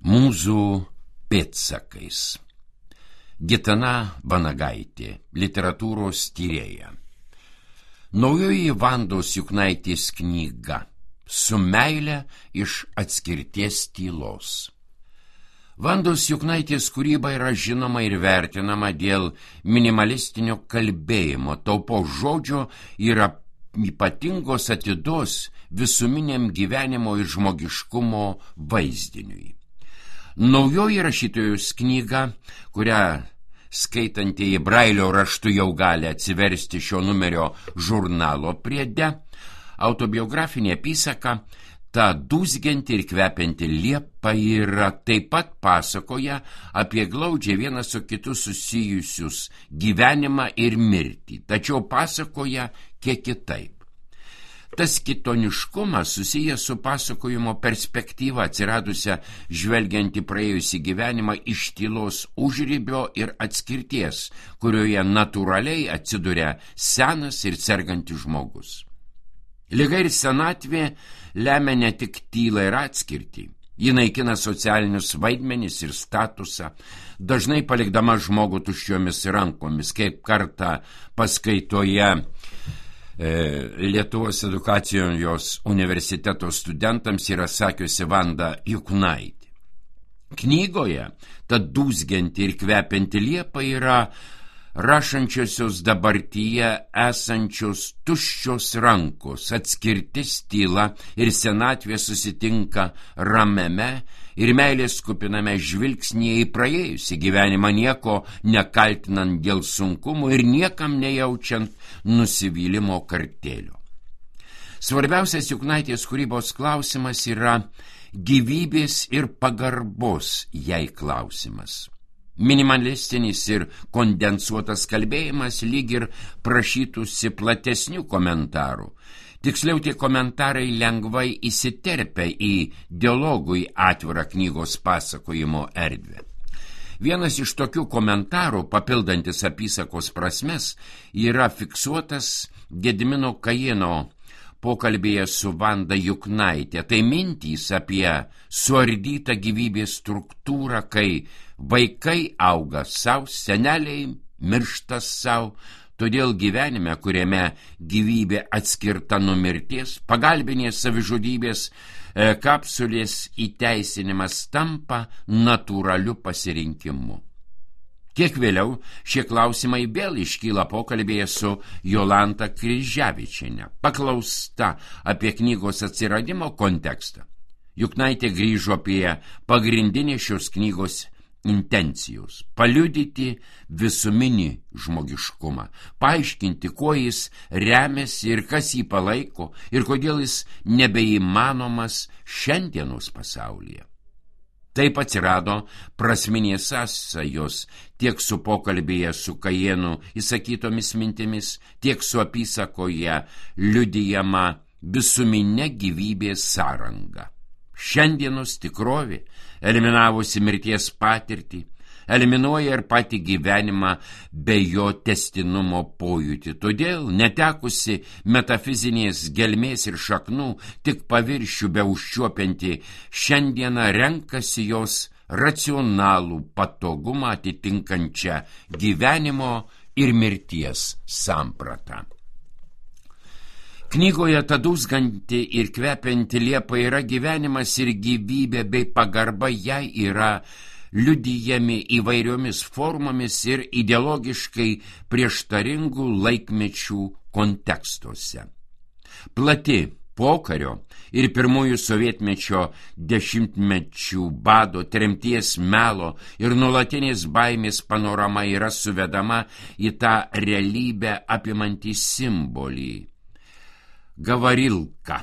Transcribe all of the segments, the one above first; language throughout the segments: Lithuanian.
Mūzų pėdsakais. Gitana Vanagaitė, literatūros tyrėja. Naujoji Vandos Juknaitės knyga Su meile iš atskirties tylos. Vandos Juknaitės kūryba yra žinoma ir vertinama dėl minimalistinio kalbėjimo, taupos žodžio ir ypatingos atidos visuminiam gyvenimo ir žmogiškumo vaizdiniui. Naujoji rašytojos knyga, kurią skaitantieji Brailio raštu jau gali atsiversti šio numerio žurnalo priede, autobiografinė apysaka Ta dūzgianti ir kvepianti liepa yra taip pat pasakoja apie glaudžiai vienas su kitu susijusius gyvenimą ir mirtį, tačiau pasakoja kiek kitaip. Tas kitoniškumas susijęs su pasakojimo perspektyva atsiradusia žvelgiant į praėjusį gyvenimą iš tylos užribio ir atskirties, kurioje natūraliai atsiduria senas ir sergantis žmogus. Liga ir senatvė lemia ne tik tylą ir atskirtį. Ji naikina socialinius vaidmenis ir statusą, dažnai palikdama žmogų tuščiomis rankomis, kaip kartą paskaitoje Lietuvos edukacijos universiteto studentams yra sakiusi Vanda Juknaitė. Knygoje ta dūzgianti ir kvepianti liepa yra rašančiosios dabartyje esančios tuščios rankos, atskirtis, tyla ir senatvė susitinka ramiame ir meilės kupiname žvilgsnyje į praėjusį gyvenimą, nieko nekaltinant dėl sunkumų ir niekam nejaučiant nusivylimo kartėlio. Svarbiausias Juknaitės kūrybos klausimas yra gyvybės ir pagarbos jai klausimas. Minimalistinis ir kondensuotas kalbėjimas lyg ir prašytųsi platesnių komentarų. Tiksliau, tie komentarai lengvai įsiterpia į dialogui atvirą knygos pasakojimo erdvę. Vienas iš tokių komentarų, papildantis apysakos prasmes, yra fiksuotas Gedimino Kajėno pokalbėje su Vanda Juknaitė. Tai mintys apie suardytą gyvybės struktūrą, kai vaikai auga savo, seneliai miršta savo, todėl gyvenime, kuriame gyvybė atskirta nuo mirties, pagalbinės savižudybės kapsulės įteisinimas tampa natūraliu pasirinkimu. Kiek vėliau šie klausimai vėl iškyla pokalbėje su Jolanta Kryževičiene. Paklausta apie knygos atsiradimo kontekstą, Juknaitė grįžo prie pagrindinės šios knygos intencijos – paliudyti visuminį žmogiškumą, paaiškinti, kuo jis remiasi ir kas jį palaiko ir kodėl jis nebeįmanomas šiandienos pasaulyje. Taip atsirado prasminės sąsajos tiek su pokalbėje su Kajėnu įsakytomis mintimis, tiek su apysakoje liudijama visuminė gyvybės sąranga. Šiandienos tikrovė, eliminavusi mirties patirtį, eliminuoja ir patį gyvenimą be jo tęstinumo pojūtį. Todėl, netekusi metafizinės gelmės ir šaknų, tik paviršių be užčiuopianti, šiandieną renkasi jos racionalų patogumą atitinkančią gyvenimo ir mirties sampratą. Knygoje ta dūzganti ir kvepianti liepa yra gyvenimas ir gyvybė bei pagarba jai yra liudijami įvairiomis formomis ir ideologiškai prieštaringų laikmečių kontekstuose. Plati pokario ir pirmųjų sovietmečio dešimtmečių bado, tremties, melo ir nuolatinės baimės panorama yra suvedama į tą realybę apimantį simbolį. Gavarilka,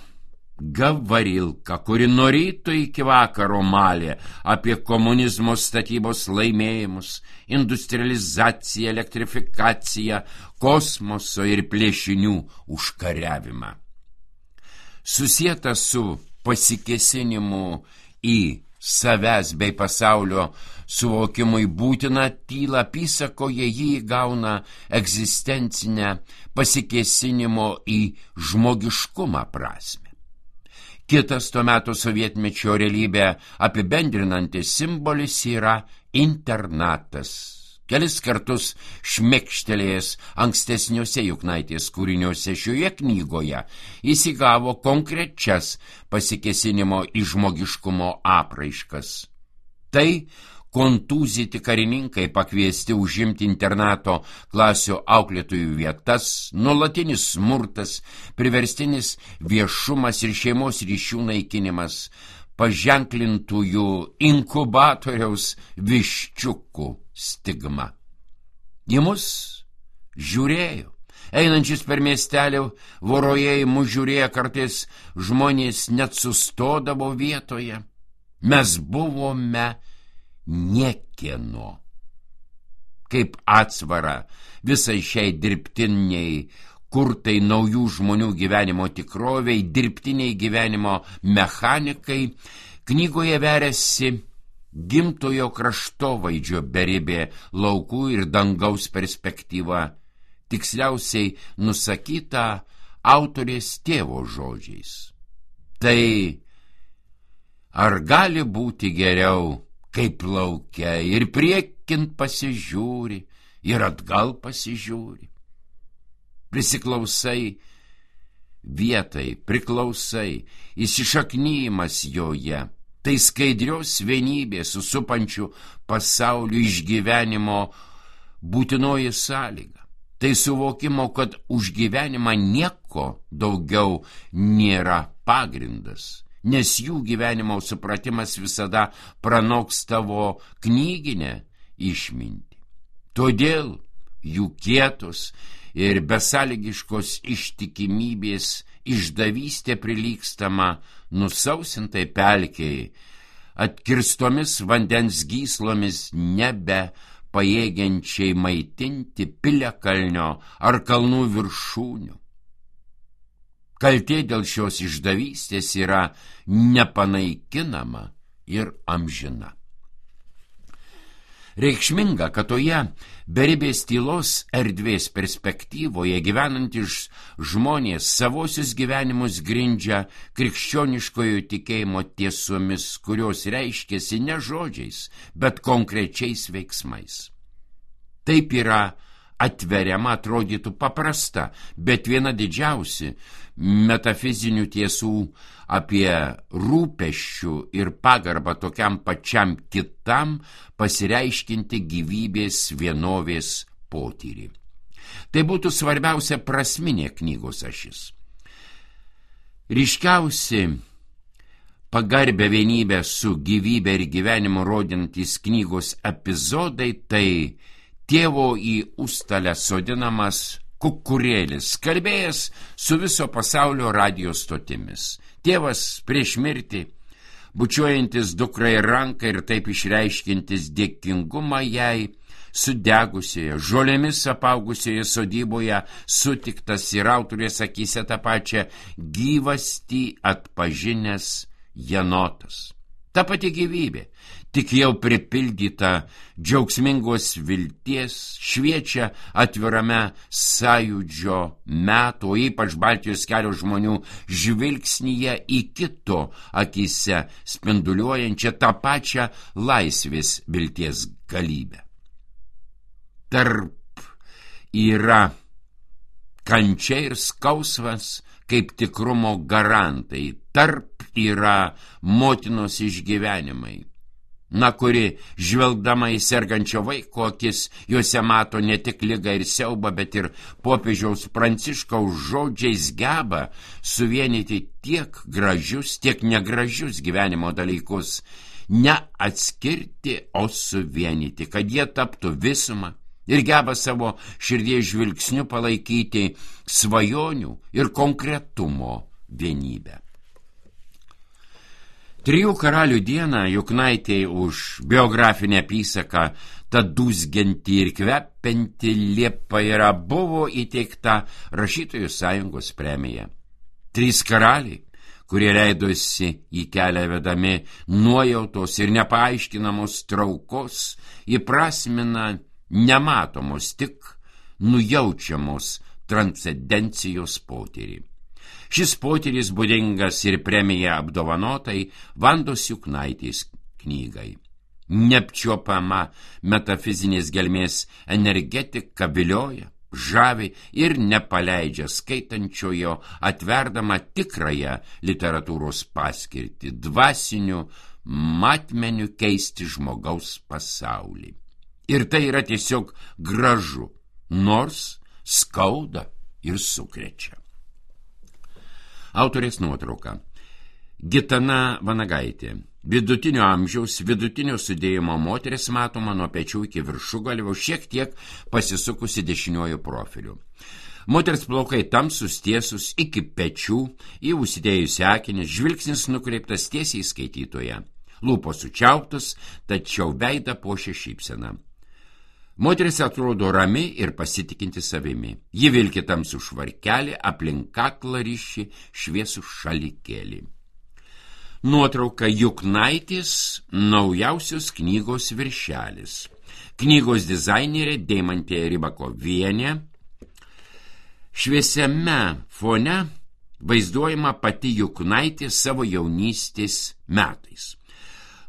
kuri nuo ryto iki vakaro malė apie komunizmo statybos laimėjimus, industrializaciją, elektrifikaciją, kosmoso ir plėšinių užkariavimą. Susieta su pasikėsinimu į savęs bei pasaulio suvokimui būtina tyla apysakoje jį įgauna egzistencinę pasikėsinimo į žmogiškumą prasmę. Kitas tuo metu sovietmečio realybę apibendrinantis simbolis yra internatas. Kelis kartus šmekštelėjęs ankstesniuose Juknaitės kūriniuose šioje knygoje jis įgavo konkrečias pasikėsinimo į žmogiškumo apraiškas. Tai kontūzyti karininkai pakviesti užimti internato klasių auklėtojų vietas, nuolatinis smurtas, priverstinis viešumas ir šeimos ryšių naikinimas, paženklintųjų inkubatoriaus viščiukų stigma. Į mus žiūrėjo. Einančius per miestelį voroje į mus žiūrėjo kartais žmonės net sustodavo vietoje. Mes buvome niekieno. Kaip atsvara visai šiai dirbtiniai, kurtai naujų žmonių gyvenimo tikroviai, dirbtiniai gyvenimo mechanikai, knygoje veriasi gimtojo kraštovaizdžio beribė laukų ir dangaus perspektyva, tiksliausiai nusakyta autorės tėvo žodžiais. Tai ar gali būti geriau, kaip laukia ir priekint pasižiūri, ir atgal pasižiūri? Prisiklausai vietai, priklausai, įsišaknyjimas joje, tai skaidrios vienybės susupančių pasaulių išgyvenimo būtinoji sąlyga. Tai suvokimo, kad už gyvenimą nieko daugiau nėra pagrindas, nes jų gyvenimo supratimas visada pranoks tavo knyginę išmintį. Todėl jų kietos ir besąlygiškos ištikimybės išdavystė prilygstama nusausintai pelkei, atkirstomis vandens gyslomis nebe pajėgiančiai maitinti piliakalnio ar kalnų viršūnių. Kaltė dėl šios išdavystės yra nepanaikinama ir amžina. Reikšminga, kad toje beribės tylos erdvės perspektyvoje gyvenantys žmonės savosius gyvenimus grindžia krikščioniškojo tikėjimo tiesomis, kurios reiškiasi ne žodžiais, bet konkrečiais veiksmais. Taip yra atveriama, atrodytų paprasta, bet viena didžiausi metafizinių tiesų apie rūpesčių ir pagarbą tokiam pačiam kitam pasireiškinti gyvybės vienovės potyrį. Tai būtų svarbiausia prasminė knygos ašis. Ryškiausi pagarbę vienybę su gyvybė ir gyvenimu rodintys knygos epizodai tai tėvo į užstalę sodinamas kukurėlis, kalbėjęs su viso pasaulio radijo stotimis. Tėvas prieš mirtį, bučiuojantis dukrai ranką ir taip išreiškintis dėkingumą jai, sudegusioje, žolėmis apaugusioje sodyboje sutiktas ir autorės akyse tą pačią gyvastį atpažinęs jenotas. Ta pati gyvybė, tik jau pripildyta džiaugsmingos vilties, šviečia atvirame sąjūdžio metų, ypač Baltijos kelio žmonių žvilgsnyje į kito akyse spinduliuojančią tą pačią laisvės vilties galybę. Tarp yra kančia ir skausmas kaip tikrumo garantai, tarp yra motinos išgyvenimai, kuri žvelgdama į sergančio vaiko akis, juose mato ne tik ligą ir siaubą, bet ir popiežiaus Pranciškaus žodžiais geba suvienyti tiek gražius, tiek negražius gyvenimo dalykus, ne atskirti, o suvienyti, kad jie taptų visumą. Ir geba savo širdies žvilgsniu palaikyti svajonių ir konkretumo vienybę. Trijų karalių dieną Juknaitei už biografinę apysaką ta dūzgianti ir kvepianti liepa yra buvo įteikta Rašytojų sąjungos premija. 3 karaliai, kurie leidosi į kelią vedami nuojautos ir nepaaiškinamos traukos, įprasmina nematomos, tik nujaučiamos transcendencijos potyrį. Šis potyris būdingas ir premija apdovanotai Vandos Juknaitės knygai. Neapčiuopama metafizinės gelmės energetika vilioja, žavi ir nepaleidžia skaitančiojo, atverdama tikrąją literatūros paskirtį, dvasiniu matmeniu keisti žmogaus pasaulį. Ir tai yra tiesiog gražu, nors skauda ir sukrečia. Autorės nuotrauka. Gitana Vanagaitė. Vidutinio amžiaus, vidutinio sudėjimo moteris matoma nuo pečių iki viršugalvio, šiek tiek pasisukusi dešiniuoju profiliu. Moters plaukai tamsus, tiesus iki pečių, į užsidėjusi akinius, žvilgsnis nukreiptas tiesiai į skaitytoją. Lūpos sučiauptos, tačiau veidą puošia šypsena. Moteris atrodo rami ir pasitikinti savimi. Ji vilki tamsų švarkelį, aplink kaklą ryši šviesų šalikėlį. Nuotrauka Juknaitės naujausios knygos viršelis. Knygos dizainerė Deimantė Rybakovienė. Šviesiame fone vaizduojama pati Juknaitė savo jaunystės metais.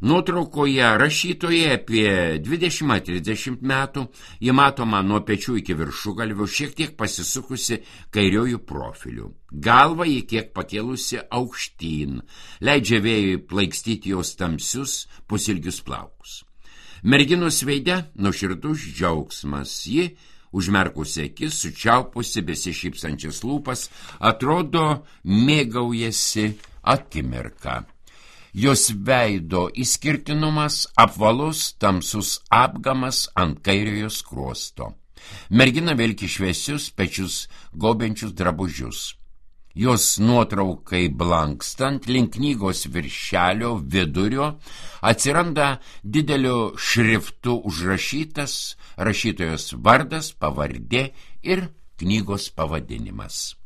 Nuotraukoje rašytoje apie 20-30 metų, ji matoma nuo pečių iki viršugalvio, šiek tiek pasisukusi kairiojų profiliu. Galva ji kiek pakėlusi aukštyn, leidžia vėjui plaikstyti jos tamsius pusilgius plaukus. Merginos veide nuoširdus džiaugsmas, ji, užmerkusi akis, sučiaupusi besišypsančias lūpas, atrodo mėgaujasi akimirką. Jos veido išskirtinumas apvalus tamsus apgamas ant kairiojo skruosto. Mergina vilki šviesius pečius gaubiančius drabužius. Jos nuotraukai blankstant link knygos viršelio vidurio atsiranda dideliu šriftu užrašytas rašytojos vardas, pavardė ir knygos pavadinimas.